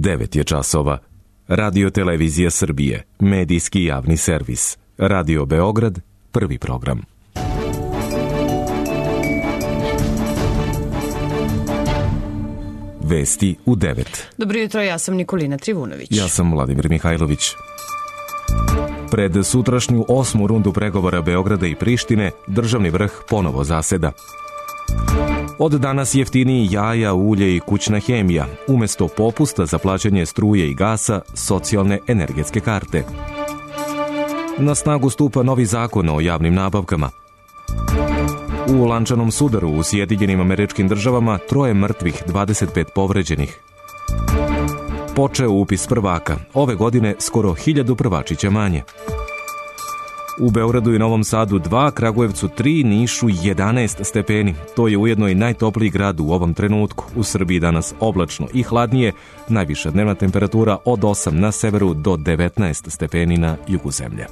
9 je časova. Radio Televizija Srbije, medijski javni servis. Radio Beograd, prvi program. Vesti u 9. Dobro jutro, ja sam Nikolina Trivunović. Ja sam Vladimir Mihajlović. Pred sutrašnju 8. rundu pregovora Beograda i Prištine, državni vrh ponovo zaseda. Od danas jeftiniji jaja, ulje i kućna hemija, umesto popusta za plaćanje struje i gasa, socijalne energetske karte. Na snagu stupa novi zakon o javnim nabavkama. U lančanom sudaru u Sjedinjenim Američkim Državama 3 mrtvih, 25 povređenih. Počeo upis prvaka, ove godine skoro 1000 prvačića manje. U Beogradu i Novom Sadu 2, Kragujevcu 3, Nišu 11 stepeni. To je ujedno i najtopliji grad u ovom trenutku. U Srbiji danas oblačno i hladnije, najviša dnevna temperatura od 8 na severu do 19 stepeni na jugu zemlje.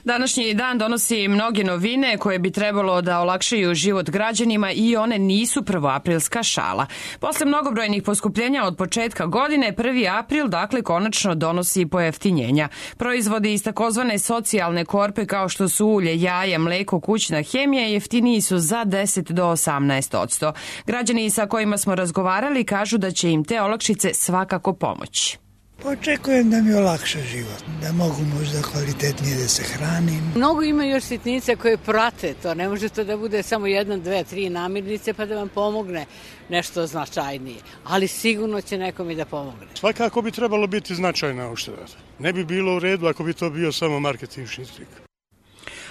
Današnji dan donosi mnoge novine koje bi trebalo da olakšaju život građanima i one nisu prvoaprilska šala. Posle mnogobrojnih poskupljenja od početka godine, 1. april dakle konačno donosi pojeftinjenja. Proizvodi iz takozvane socijalne korpe kao što su ulje, jaja, mleko, kućna hemija jeftiniji su za 10 do 18%. Građani sa kojima smo razgovarali kažu da će im te olakšice svakako pomoći. Očekujem da mi olakša život, da mogu možda kvalitetnije da se hranim. Mnogo ima još sitnice koje prate to, ne može to da bude samo 1, 2, 3 namirnice pa da vam pomogne nešto značajnije, ali sigurno će nekom i da pomogne. Svakako bi trebalo biti značajna ušteda. Ne bi bilo u redu ako bi to bio samo marketinški trik.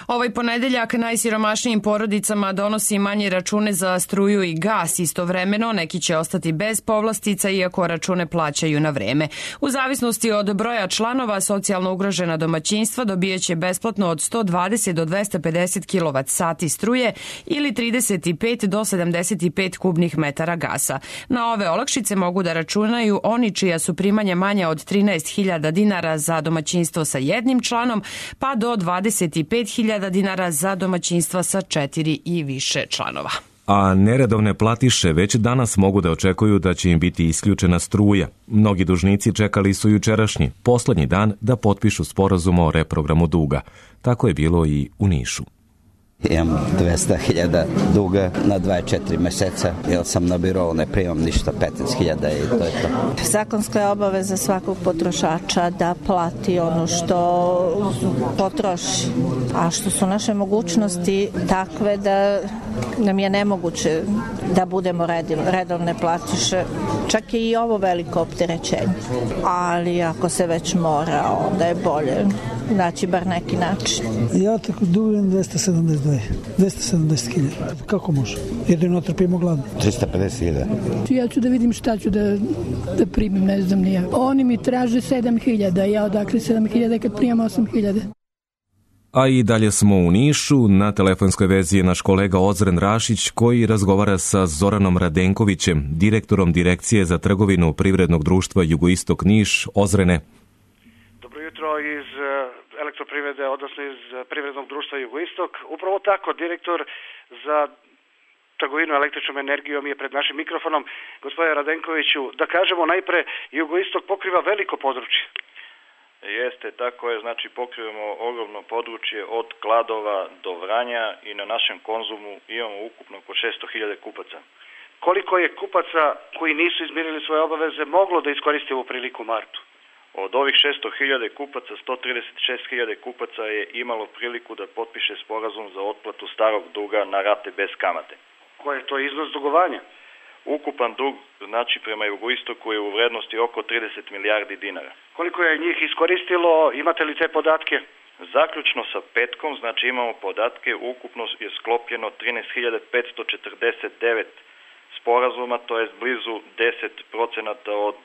Ovaj ponedeljak najsiromašnijim porodicama donosi manje račune za struju i gas. Istovremeno neki će ostati bez povlastica iako račune plaćaju na vreme. U zavisnosti od broja članova, socijalno ugrožena domaćinstva dobijaće besplatno od 120 do 250 kWh struje ili 35 do 75 kubnih metara gasa. Na ove olakšice mogu da računaju oni čija su primanja manja od 13.000 dinara za domaćinstvo sa jednim članom, pa do 25.000 dinara za domaćinstva sa 4 i više članova. A neredovne platiše već danas mogu da očekuju da će im biti isključena struja. Mnogi dužnici čekali su jučerašnji, poslednji dan da potpišu sporazum o reprogramu duga. Tako je bilo i u Nišu. Imam 200.000 duga na 24 meseca, jer sam na birou, ne primam ništa, 15.000 i to je to. Zakonska je obaveza svakog potrošača da plati ono što potroši, a što su naše mogućnosti takve da nam je nemoguće da budemo redovne platiše. Čak je i ovo veliko opterećenje, ali ako se već mora, onda je bolje naći bar neki način. Ja tako dugujem 270.000. Kako može? Jedino trpimo gladno. 350.000. Ja ću da vidim šta ću da primim, ne znam ni ja. Oni mi traže 7.000, ja odakle 7.000 kad primam 8.000. A i dalje smo u Nišu, na telefonskoj vezi je naš kolega Ozren Rašić koji razgovara sa Zoranom Radenkovićem, direktorom Direkcije za trgovinu Privrednog društva Jugoistok Niš. Ozrene. Dobro jutro iz Elektroprivrede, odnosno iz Privrednog društva Jugoistok. Upravo tako, direktor za trgovinu električnom energijom je pred našim mikrofonom. Gospodine Radenkoviću, da kažemo najpre, Jugoistok pokriva veliko područje. Jeste, tako je, znači pokrivamo ogromno područje od Kladova do Vranja i na našem Konzumu imamo ukupno oko 600.000 kupaca. Koliko je kupaca koji nisu izmirili svoje obaveze moglo da iskoristi ovu priliku u martu? Od ovih 600.000 kupaca, 136.000 kupaca je imalo priliku da potpiše sporazum za otplatu starog duga na rate bez kamate. Koji je to iznos dugovanja? Ukupan dug, znači prema Jugoistoku, je u vrednosti oko 30 milijardi dinara. Koliko je njih iskoristilo, imate li te podatke? Zaključno sa petkom, znači imamo podatke, ukupno je sklopljeno 13.549 sporazuma, to je blizu 10% od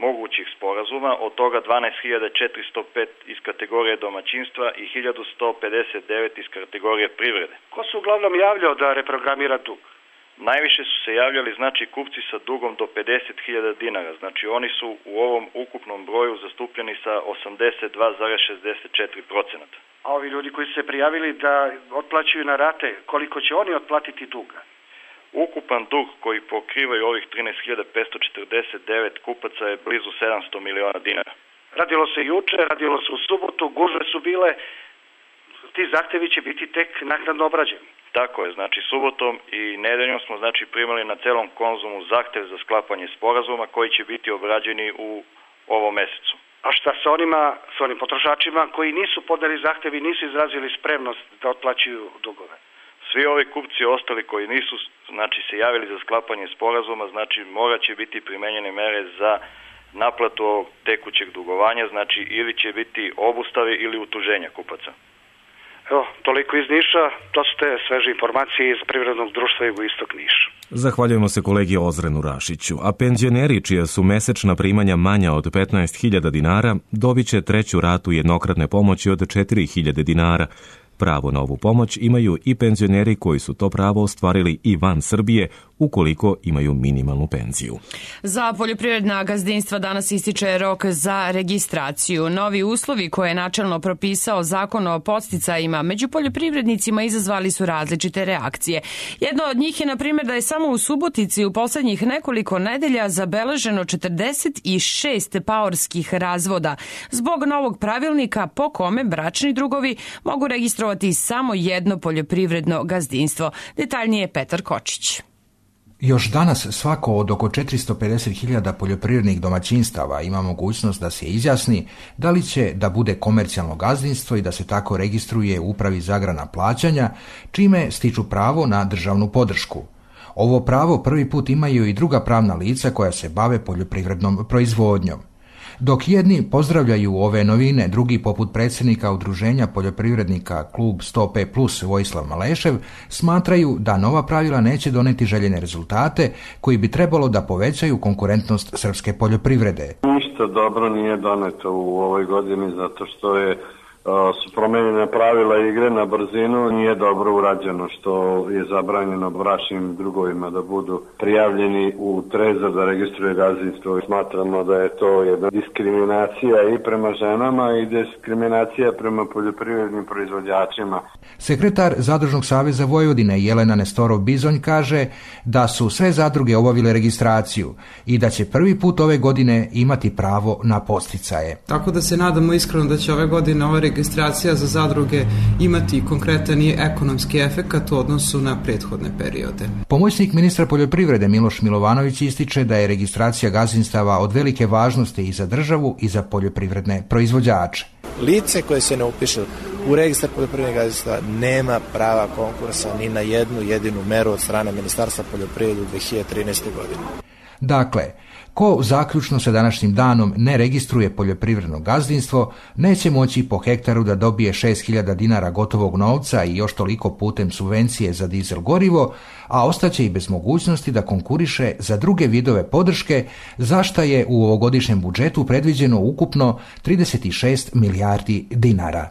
mogućih sporazuma, od toga 12.405 iz kategorije domaćinstva i 1.159 iz kategorije privrede. Ko se uglavnom javljao da reprogramira dug? Najviše su se javljali, znači, kupci sa dugom do 50.000 dinara. Znači, oni su u ovom ukupnom broju zastupljeni sa 82,64%. A ovi ljudi koji su se prijavili da otplaćuju na rate, koliko će oni otplatiti duga? ukupan dug koji pokrivaju ovih 13.549 kupaca je blizu 700 miliona dinara. Radilo se juče, radilo se u subotu, gužve su bile, ti zahtevi će biti tek naknadno obrađeni. Tako je, znači subotom i nedeljom smo primali na celom Konzumu zahtev za sklapanje sporazuma koji će biti obrađeni u ovom mesecu. A šta sa onim potrošačima koji nisu podali zahtev i nisu izrazili spremnost da otplaćuju dugove? Svi ovi kupci ostali koji nisu se javili za sklapanje sporazuma, morat će biti primenjene mere za naplatu ovog tekućeg dugovanja, ili će biti obustave ili utuženja kupaca. Evo, toliko iz Niša, to su te sveže informacije iz Privrednog društva Jugoistok Niš. Zahvaljujemo se kolegi Ozrenu Rašiću, a penzioneri čija su mesečna primanja manja od 15.000 dinara dobit će treću ratu jednokratne pomoći od 4.000 dinara. Pravo na ovu pomoć imaju i penzioneri koji su to pravo ostvarili i van Srbije ukoliko imaju minimalnu penziju. Za poljoprivredna gazdinstva danas ističe rok za registraciju. Novi uslovi koje je načelno propisao Zakon o podsticajima među poljoprivrednicima izazvali su različite reakcije. Jedno od njih je, na primjer, da je samo u Subotici u poslednjih nekoliko nedelja zabeleženo 46 paorskih razvoda zbog novog pravilnika po kome bračni drugovi mogu registrovati samo jedno poljoprivredno gazdinstvo. Detaljnije Petar Kočić. Još danas svako od oko 450.000 poljoprivrednih domaćinstava ima mogućnost da se izjasni da li će da bude komercijalno gazdinstvo i da se tako registruje u Upravi za agrarna plaćanja, čime stiču pravo na državnu podršku. Ovo pravo prvi put imaju i druga pravna lica koja se bave poljoprivrednom proizvodnjom. Dok jedni pozdravljaju ove novine, drugi, poput predsjednika Udruženja poljoprivrednika Klub 100P+, Vojislav Malešev, smatraju da nova pravila neće doneti željene rezultate koji bi trebalo da povećaju konkurentnost srpske poljoprivrede. Ništa dobro nije doneto u ovoj godini zato što su promenjene pravila igre na brzinu, nije dobro urađeno što je zabranjeno bračnim drugovima da budu prijavljeni u trezor da registruje gazdinstvo. Smatramo da je to jedna diskriminacija i prema ženama i diskriminacija prema poljoprivrednim proizvođačima. Sekretar Zadružnog saveza Vojvodine Jelena Nestorov-Bizonj kaže da su sve zadruge obavile registraciju i da će prvi put ove godine imati pravo na podsticaje. Tako da se nadamo iskreno da će ove godine ova registracija za zadruge imati konkretan i ekonomski efekat u odnosu na prethodne periode. Pomoćnik ministra poljoprivrede Miloš Milovanović ističe da je registracija gazdinstava od velike važnosti i za državu i za poljoprivredne proizvođače. Lice koje se ne upiše u registar poljoprivrednih gazdinstava nema prava konkursa ni na jednu jedinu meru od strane Ministarstva poljoprivrede u 2013. godine. Dakle, ko zaključno sa današnjim danom ne registruje poljoprivredno gazdinstvo, neće moći po hektaru da dobije 6.000 dinara gotovog novca i još toliko putem subvencije za dizel gorivo, a ostaće i bez mogućnosti da konkuriše za druge vidove podrške, za šta je u ovogodišnjem budžetu predviđeno ukupno 36 milijardi dinara.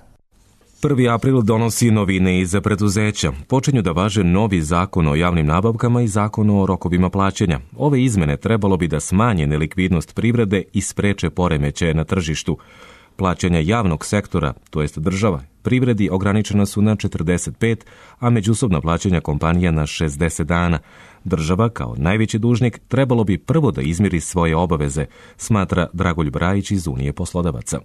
1. april donosi novine i za preduzeća. Počinju da važe novi zakon o javnim nabavkama i zakon o rokovima plaćanja. Ove izmene trebalo bi da smanje nelikvidnost privrede i spreče poremećaje na tržištu. Plaćanja javnog sektora, to jest država, privredi ograničena su na 45, a međusobna plaćanja kompanija na 60 dana. Država, kao najveći dužnik, trebalo bi prvo da izmiri svoje obaveze, smatra Dragoljub Rajić iz Unije poslodavaca.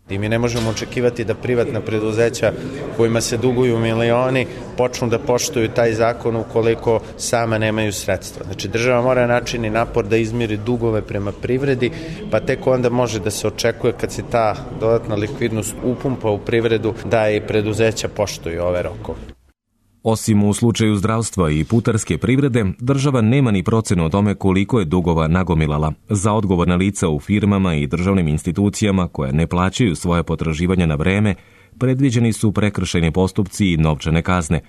I mi ne možemo očekivati da privatna preduzeća kojima se duguju milioni počnu da poštuju taj zakon ukoliko sama nemaju sredstva. Znači država mora načini napor da izmiri dugove prema privredi, pa tek onda može da se očekuje kad se ta dodatna likvidnost upumpa u privredu da i preduzeća poštuju ove rokove. Osim u slučaju zdravstva i putarske privrede, država nema ni procenu o tome koliko je dugova nagomilala. Za odgovorna lica u firmama i državnim institucijama koje ne plaćaju svoje potraživanja na vreme, predviđeni su prekršajni postupci i novčane kazne.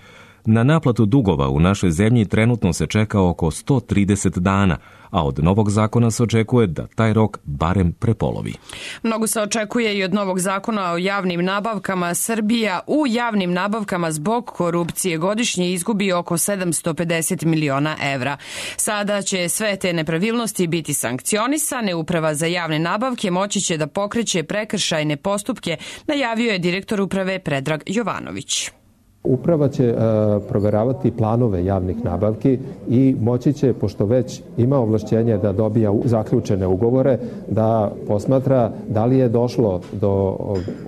Na naplatu dugova u našoj zemlji trenutno se čeka oko 130 dana, a od novog zakona se očekuje da taj rok barem prepolovi. Mnogo se očekuje i od novog zakona o javnim nabavkama. Srbija u javnim nabavkama zbog korupcije godišnje izgubi oko 750 miliona evra. Sada će sve te nepravilnosti biti sankcionisane. Uprava za javne nabavke moći će da pokreće prekršajne postupke, najavio je direktor uprave Predrag Jovanović. Uprava će proveravati planove javnih nabavki i moći će, pošto već ima ovlašćenje da dobija zaključene ugovore, da posmatra da li je došlo do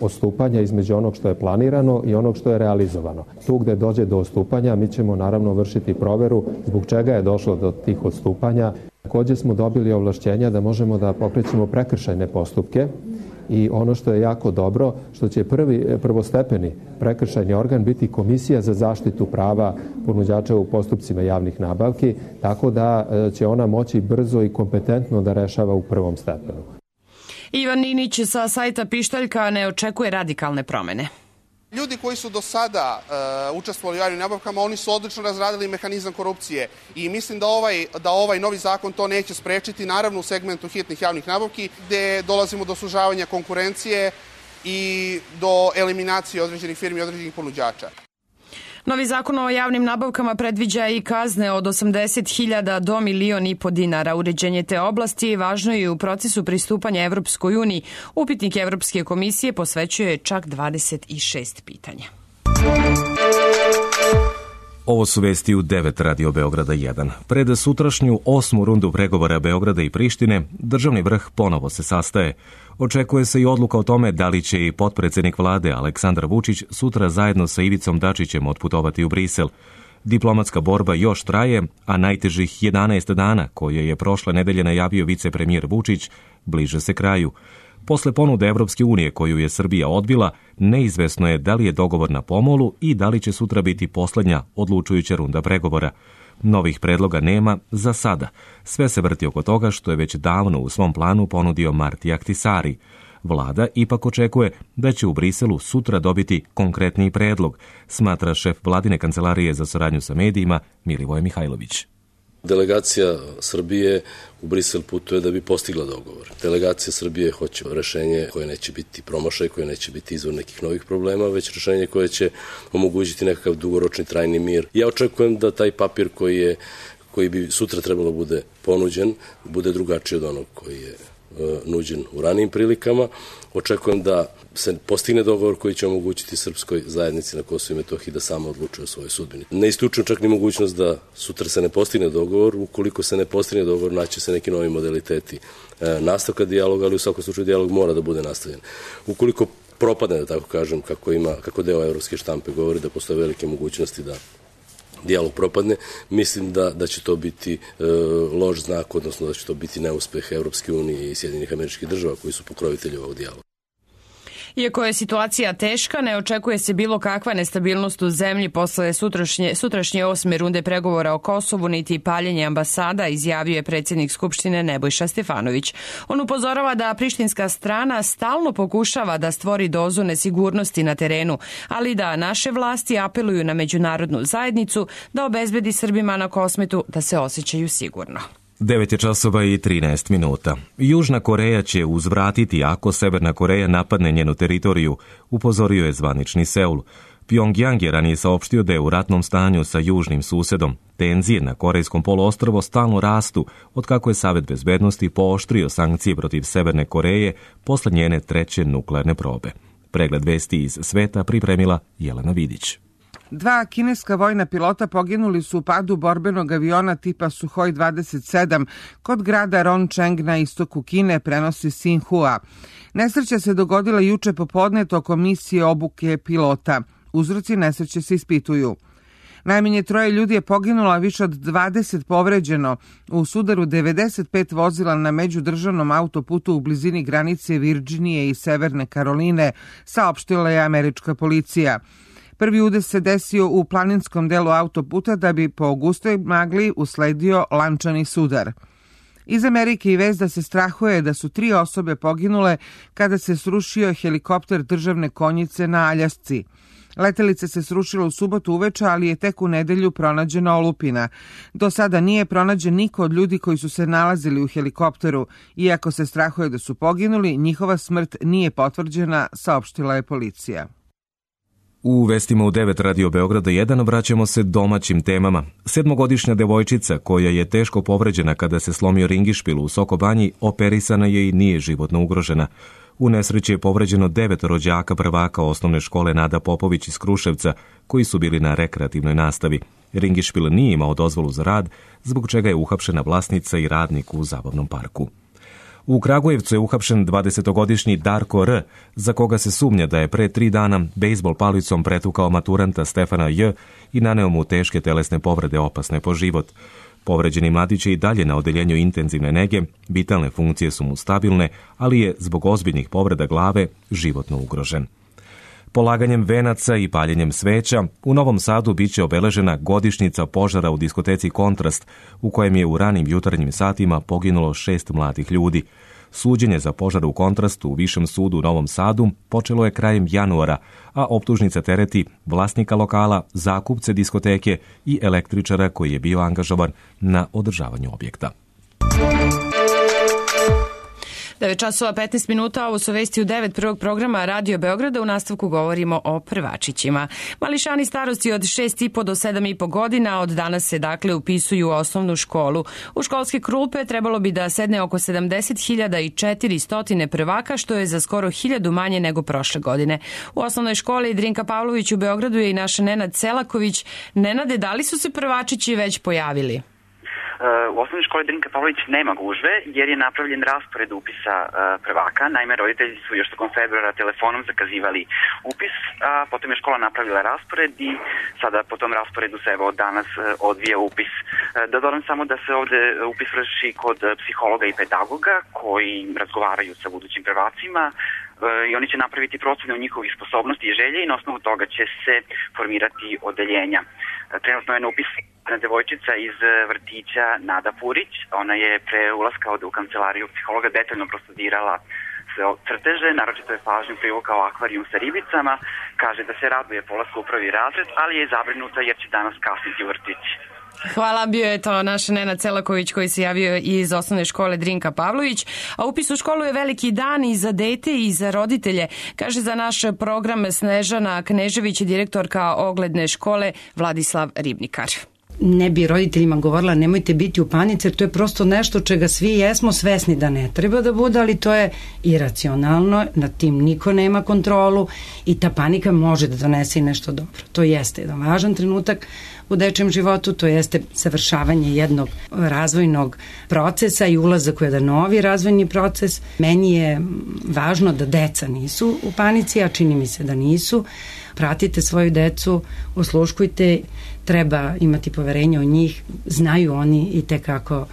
odstupanja između onog što je planirano i onog što je realizovano. Tu gde dođe do odstupanja mi ćemo naravno vršiti proveru zbog čega je došlo do tih odstupanja. Takođe smo dobili ovlašćenja da možemo da pokrećemo prekršajne postupke i ono što je jako dobro, što će prvostepeni prekršajni organ biti Komisija za zaštitu prava ponuđača u postupcima javnih nabavki, tako da će ona moći brzo i kompetentno da rešava u prvom stepenu. Ivan Ninić sa sajta Pištaljka ne očekuje radikalne promene. Ljudi koji su do sada učestvovali u javnim nabavkama, oni su odlično razradili mehanizam korupcije i mislim da ovaj novi zakon to neće sprečiti, naravno u segmentu hitnih javnih nabavki, gde dolazimo do sužavanja konkurencije i do eliminacije određenih firmi i određenih ponuđača. Novi zakon o javnim nabavkama predviđa i kazne od 80.000 do 1,5 miliona dinara. Uređenje te oblasti važno je u procesu pristupanja Evropskoj uniji. Upitnik Evropske komisije posvećuje čak 26 pitanja. Ovo su vesti u 9 Radio Beograda 1. Pred sutrašnju 8. rundu pregovora Beograda i Prištine, državni vrh ponovo se sastaje. Očekuje se i odluka o tome da li će i potpredsednik vlade Aleksandar Vučić sutra zajedno sa Ivicom Dačićem otputovati u Brisel. Diplomatska borba još traje, a najtežih 11 dana koje je prošle nedelje najavio vicepremijer Vučić bliže se kraju. Posle ponude Evropske unije koju je Srbija odbila, neizvesno je da li je dogovor na pomolu i da li će sutra biti poslednja odlučujuća runda pregovora. Novih predloga nema za sada. Sve se vrti oko toga što je već davno u svom planu ponudio Marti Ahtisari. Vlada ipak očekuje da će u Briselu sutra dobiti konkretniji predlog, smatra šef vladine kancelarije za saradnju sa medijima Milivoje Mihajlović. Delegacija Srbije u Brisel putuje da bi postigla dogovor. Delegacija Srbije hoće rešenje koje neće biti promašaj, koje neće biti izvor nekih novih problema, već rešenje koje će omogućiti nekakav dugoročni trajni mir. Ja očekujem da taj papir koji bi sutra trebalo bude ponuđen, bude drugačiji od onog koji je nuđen u ranijim prilikama. Očekujem da se postigne dogovor koji će omogućiti srpskoj zajednici na Kosovu i Metohiji da sama odlučuje o svojoj sudbini. Ne isključujem čak ni mogućnost da sutra se ne postigne dogovor. Ukoliko se ne postigne dogovor, naći se neki novi modaliteti nastavka dijaloga, ali u svakom slučaju dijalog mora da bude nastavljen. Ukoliko propadne, da tako kažem, kako deo evropske štampe govori da postoje velike mogućnosti da dijalog propadne, mislim da će to biti loš znak, odnosno da će to biti neuspeh Evropske unije i Sjedinjenih Američkih Država koji su pokrovitelji ovog dijaloga. Iako je situacija teška, ne očekuje se bilo kakva nestabilnost u zemlji posle sutrašnje 8. runde pregovora o Kosovu, niti paljenje ambasada, izjavio je predsjednik Skupštine Nebojša Stefanović. On upozorava da prištinska strana stalno pokušava da stvori dozu nesigurnosti na terenu, ali da naše vlasti apeluju na međunarodnu zajednicu da obezbedi Srbima na Kosmetu da se osjećaju sigurno. 9 je časova i 13 minuta. Južna Koreja će uzvratiti ako Severna Koreja napadne njenu teritoriju, upozorio je zvanični Seul. Pjongjang je ranije saopštio da je u ratnom stanju sa južnim susedom. Tenzije na Korejskom poluostrvu stalno rastu, otkako je Savet bezbednosti pooštrio sankcije protiv Severne Koreje posle njene 3. nuklearne probe. Pregled vesti iz sveta pripremila Jelena Vidić. 2 kineska vojna pilota poginuli su u padu borbenog aviona tipa Suhoj 27 kod grada Roncheng na istoku Kine, prenosi Xinhua. Nesreća se dogodila juče popodne tokom misije obuke pilota. Uzroci nesreće se ispituju. Najmanje 3 ljudi je poginulo, a više od 20 povređeno u sudaru 95 vozila na međudržavnom autoputu u blizini granice Virđinije i Severne Karoline, saopštila je američka policija. Prvi udes se desio u planinskom delu autoputa da bi po gustoj magli usledio lančani sudar. Iz Amerike i vest da se strahuje da su 3 osobe poginule kada se srušio helikopter državne konjice na Aljasci. Letelica se srušila u subotu uveče, ali je tek u nedelju pronađena olupina. Do sada nije pronađen niko od ljudi koji su se nalazili u helikopteru. Iako se strahuje da su poginuli, njihova smrt nije potvrđena, saopštila je policija. U vestima u 9 Radio Beograda 1 vraćamo se domaćim temama. 7-godišnja devojčica koja je teško povređena kada se slomio ringišpil u Sokobanji operisana je i nije životno ugrožena. U nesreći je povređeno 9 rođaka prvaka osnovne škole Nada Popović iz Kruševca, koji su bili na rekreativnoj nastavi. Ringišpil nije imao dozvolu za rad, zbog čega je uhapšena vlasnica i radnik u zabavnom parku. U Kragujevcu je uhapšen 20-godišnji Darko R., za koga se sumnja da je pre 3 dana bejsbol palicom pretukao maturanta Stefana J. i naneo mu teške telesne povrede opasne po život. Povređeni mladić je i dalje na odeljenju intenzivne nege, vitalne funkcije su mu stabilne, ali je zbog ozbiljnih povreda glave životno ugrožen. Polaganjem venaca i paljenjem sveća u Novom Sadu biće obeležena godišnjica požara u diskoteci Kontrast, u kojem je u ranim jutarnjim satima poginulo 6 mladih ljudi. Suđenje za požar u Kontrastu u Višem sudu u Novom Sadu počelo je krajem januara, a optužnica tereti vlasnika lokala, zakupce diskoteke i električara koji je bio angažovan na održavanju objekta. 9 časova 15 minuta, ovo su vesti u 9 prvog programa Radio Beograda. U nastavku govorimo o prvačićima. Mališani starosti od 6,5 do 7,5 godina od danas se dakle upisuju u osnovnu školu. U školske klupe trebalo bi da sedne oko 70.400 prvaka, što je za skoro 1000 manje nego prošle godine. U osnovnoj školi Drinka Pavlović u Beogradu je i naša Nenad Selaković. Nenade, da li su se prvačići već pojavili? U osnovnoj školi Drinka Pavlović nema gužve jer je napravljen raspored upisa prvaka. Naime, roditelji su još tokom februara telefonom zakazivali upis, a potom je škola napravila raspored i sada po tom rasporedu se evo danas odvija upis. Da dodam samo da se ovde upis vrši kod psihologa i pedagoga koji razgovaraju sa budućim prvacima i oni će napraviti procene o njihovih sposobnosti i želje i na osnovu toga će se formirati odeljenja. Trenutno je na upis devojčica iz vrtića Nada Purić. Ona je pre ulaska u kancelariju psihologa detaljno prostudirala sve crteže, naročito je pažnju privukao akvarijum sa ribicama. Kaže da se raduje polasku u prvi razred, ali je zabrinuta jer će danas kasniti u vrtić. Hvala, bio je to naš Nenad Selaković koji se javio iz osnovne škole Drinka Pavlović. A upis u školu je veliki dan i za dete i za roditelje, kaže za naš program Snežana Knežević, direktorka ogledne škole Vladislav Ribnikar. Ne bi roditeljima govorila nemojte biti u panici, jer to je prosto nešto čega svi jesmo svesni da ne treba da bude, ali to je iracionalno, nad tim niko nema kontrolu i ta panika može da donese i nešto dobro. To jeste jedan važan trenutak u dečijem životu, to jeste savršavanje jednog razvojnog procesa i ulazak u jedan novi razvojni proces. Meni je važno da deca nisu u panici, a čini mi se da nisu. Pratite svoju decu, osluškujte, treba imati poverenje u njih, znaju oni i tekako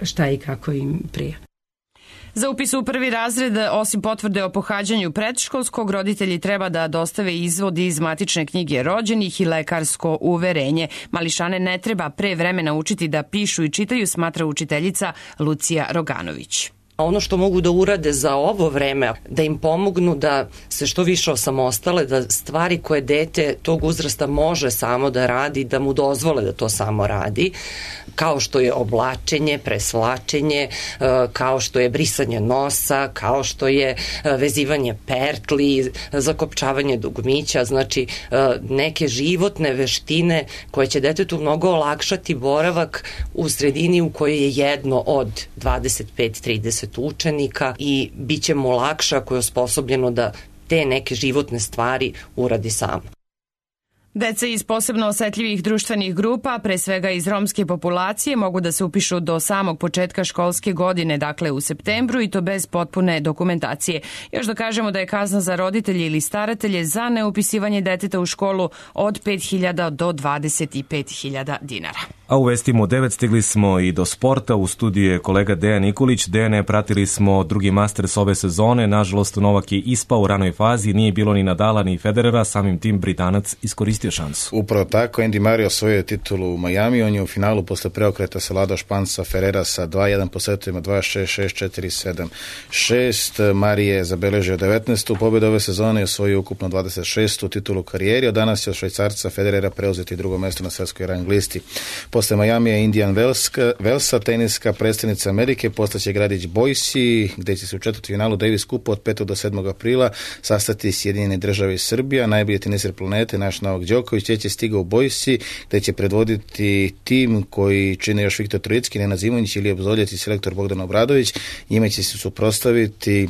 šta i kako im prije. Za upis u prvi razred, osim potvrde o pohađanju predškolskog, roditelji treba da dostave izvod iz matične knjige rođenih i lekarsko uverenje. Mališane ne treba pre vremena učiti da pišu i čitaju, smatra učiteljica Lucija Roganović. Ono što mogu da urade za ovo vreme, da im pomognu da se što više osamostale, da stvari koje dete tog uzrasta može samo da radi, da mu dozvole da to samo radi, kao što je oblačenje, presvlačenje, kao što je brisanje nosa, kao što je vezivanje pertli, zakopčavanje dugmića, znači neke životne veštine koje će detetu mnogo olakšati boravak u sredini u kojoj je jedno od 25-30 učenika i bit će mu lakše ako je osposobljeno da te neke životne stvari uradi samo. Deca iz posebno osetljivih društvenih grupa, pre svega iz romske populacije, mogu da se upišu do samog početka školske godine, dakle u septembru, i to bez potpune dokumentacije. Još da kažemo da je kazna za roditelje ili staratelje za neupisivanje deteta u školu od 5.000 do 25.000 dinara. A u vestima u 9 stigli smo i do sporta. U studiju je kolega Dejan Nikolić. Dejane, pratili smo drugi Masters ove sezone. Nažalost, Novak je ispao u ranoj fazi. Nije bilo ni Nadala ni Federera. Samim tim Britanac iskoristio šansu. Upravo tako. Andy Murray osvojio je titulu u Miami. On je u finalu posle preokreta savladao Španca Ferrera sa 2-1 po setovima 2-6, 6-4, 7-6. Murray je zabeležio 19. pobedu ove sezone i osvojio ukupno 26. titulu u karijeri. Od danas je od Švajcarca Federera preuzeti drugo mesto na svetskoj rang listi. Posle Majamija Indian Wellsa, teniska predstavnica Amerike, postaće gradić Boise, gde će se u četvrtfinalu Davis Cupa od 5. do 7. aprila sastati Sjedinjene Države i Srbija. Najbolji teniser planete, naš Novak Đoković, će stigao u Boise, gde će predvoditi tim koji čine još Viktor Trojicki, Nenad Zimonjić ili Obzoljec i selektor Bogdan Obradović. Njima će se suprotstaviti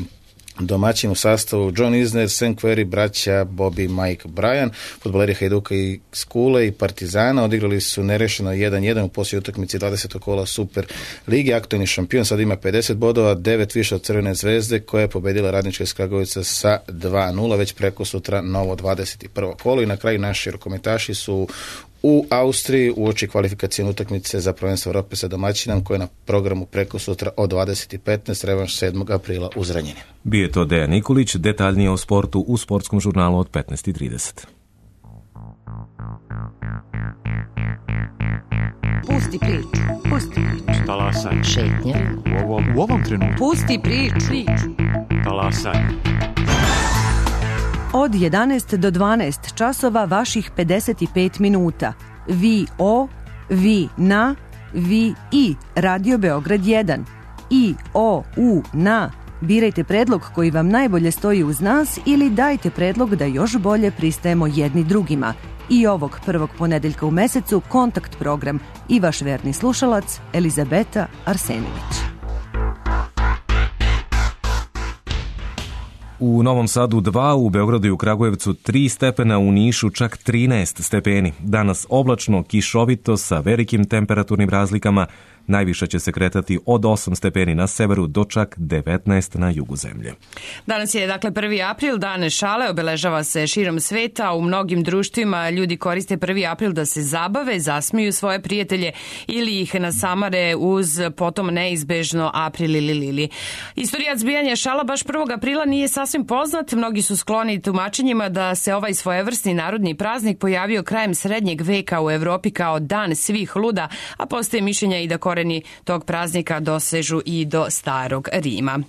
Domaćin u sastavu John Isner, St. Query, braća Bobby, Mike, Brian. Fudbaleri Hajduka i Skule i Partizana odigrali su nerešeno 1-1 u posljednjoj utakmici 20. kola Super Lige. Aktualni šampion sad ima 50 bodova, 9 više od Crvene zvezde koja je pobedila Radnička iz Kragujevca sa 2-0, već preko sutra novo 21. kolo. I na kraju naši rukometaši su u Austriji uoči kvalifikacijne utakmice za prvenstvo Evrope sa domaćinom koje je na programu preko sutra od 20:15, revanš 7. aprila u Zrenjaninu. Bio je to Dejan Nikolić, detaljnije o sportu u sportskom žurnalu od 15:30. Pusti priču. Pusti priču. Talasaj. Šetnja. U ovom trenutku. Pusti priču. Talasaj. Od 11 do 12 časova vaših 55 minuta. Vi o, vi na, vi i Radio Beograd 1. I o, u, na. Birajte predlog koji vam najbolje stoji uz nas ili dajte predlog da još bolje pristajemo jedni drugima. I ovog prvog ponedeljka u mesecu kontakt program i vaš verni slušalac Elizabeta Arsenović. U Novom Sadu 2, u Beogradu i u Kragujevcu 3 stepena, u Nišu čak 13 stepeni. Danas oblačno, kišovito sa velikim temperaturnim razlikama. Najviše će se kretati od 8 stepeni na severu do čak 19 na jugu zemlje. Danas je dakle 1. april, dan šale, obeležava se širom sveta. U mnogim društvima ljudi koriste 1. april da se zabave, zasmiju svoje prijatelje ili ih nasamare uz potom neizbežno april ili lili. Istorija zbijanja šala baš 1. aprila nije sasvim poznat. Mnogi su skloni tumačenjima da se ovaj svojevrsni narodni praznik pojavio krajem srednjeg veka u Evropi kao dan svih luda, a postoje mišljenja i da koreni tog praznika dosežu i do Starog Rima.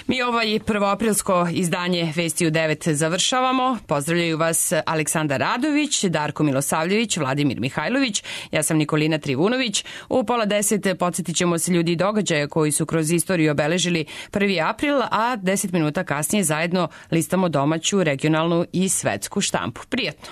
Mi ovaj prvoaprilsko izdanje Vesti u 9 završavamo. Pozdravljaju vas Aleksandar Radović, Darko Milosavljević, Vladimir Mihajlović, ja sam Nikolina Trivunović. U 9:30 podsjetit ćemo se ljudi i događaja koji su kroz istoriju obeležili 1. april, a 10 minuta kasnije zajedno listamo domaću, regionalnu i svetsku štampu. Prijetno!